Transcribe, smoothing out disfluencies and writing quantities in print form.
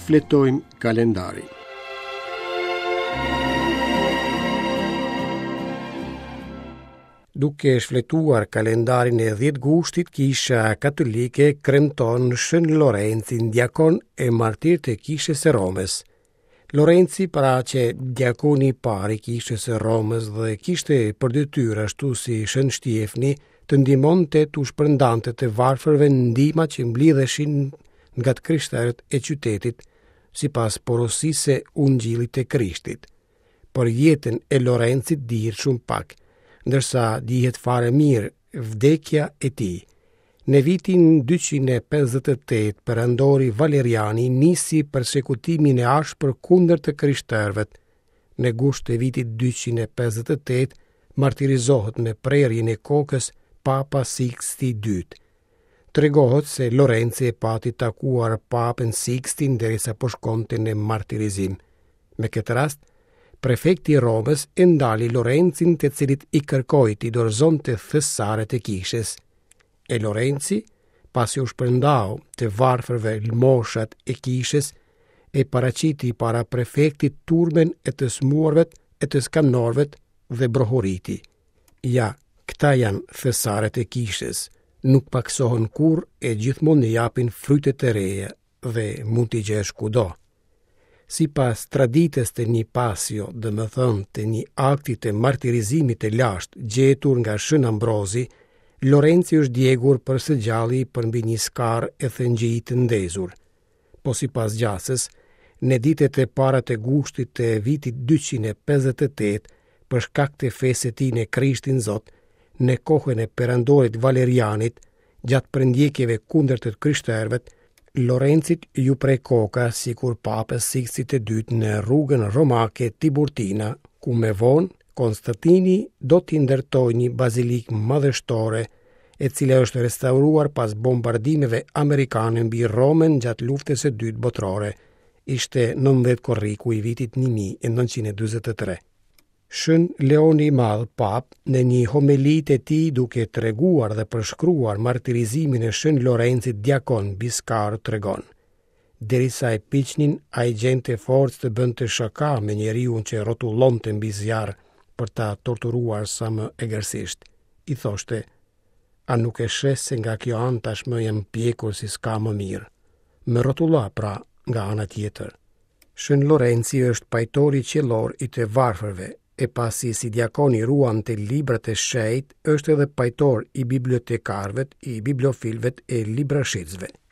Shfletojmë kalendarin. Duke shfletuar kalendarin e 10 gushtit, Kisha Katolike kremton Shën Lorencin, diakon e martir të Kishës së Romës. Lorenci pra qe diakoni i parë i Kishës së Romës dhe kishte për detyrë ashtu si Shën Shtjefni të ndihmonte t'u shpërndante të varfërve ndihma që mblidheshin nga të krishterët e qytetit sipas porosisë së Ungjillit të Krishtit. Për jetën e Lorencit dihet shumë pak, ndërsa dihet fare mirë vdekja e tij. Në vitin 258, perandori Valeriani nisi persekutimin e ashpër kundër të krishterëve. Në gusht të vitit 258, martirizohet me prerjen e kokës Papa Sixti II. Tregohet se Lorenci e pati takuar Papën Sixtin derisa po shkonte në martirizim. Me këtë rast, prefekti i Romës e ndali Lorencin të cilit i kërkoi t'i dorëzonte thesaret e kishës. E Lorenci, pasi u shpërndau të varfërve lëmoshat e kishës, e paraqiti para prefektit turmën e të sëmurëve e të skamnorëve dhe brohoriti. Ja, këta janë thesaret e kishës, nuk pakësohen kurrë e gjithmonë japin fryte të reja dhe mund t'i gjesh kudo. Sipas traditës të një pasio, domethënë të një akti të martirizimit të lashtë gjetur nga Shën Ambrozi, Lorenci është djegur për së gjalli përmbi një skarë e thëngjij të ndezur. Po sipas gjasës, në ditët e para të gushtit të vitit 258, për shkak të fesë së tij në Krishtin Zot, në kohën e perandorit Valerianit, Gjatë përndjekjeve kundër të krishterëve, Lorencit iu pre koka sikur papës Sikstit të dytë në rrugën romake Tiburtina, ku më vonë Konstantini do t'i ndërtojë një bazilikë madhështore, e cila është restauruar pas bombardimeve amerikane mbi Romën gjatë luftës së dytë botërore. Ishte 19 korriku i vitit 1943. Shën Leoni i Madh, Papë, në një homeli të tij duke treguar dhe përshkruar martirizimin e Shën Lorencit diakon mbi skarë tregon. Derisa e piqnin, ai gjente forcë të bënte shaka me njeriun që rrotullonte mbi zjarr për ta torturuar sa më egërsisht. I thoshte, a nuk e sheh se nga kjo anë tashmë jam pjekur si s'ka më mirë. Më rrotullo pra nga ana tjetër. Shën Lorenci është pajtori qiellor i të varfërve, e pasi si diakon i ruante librat e shenjtë, është edhe pajtor i bibliotekarëve, i bibliofilëve e librashitësve.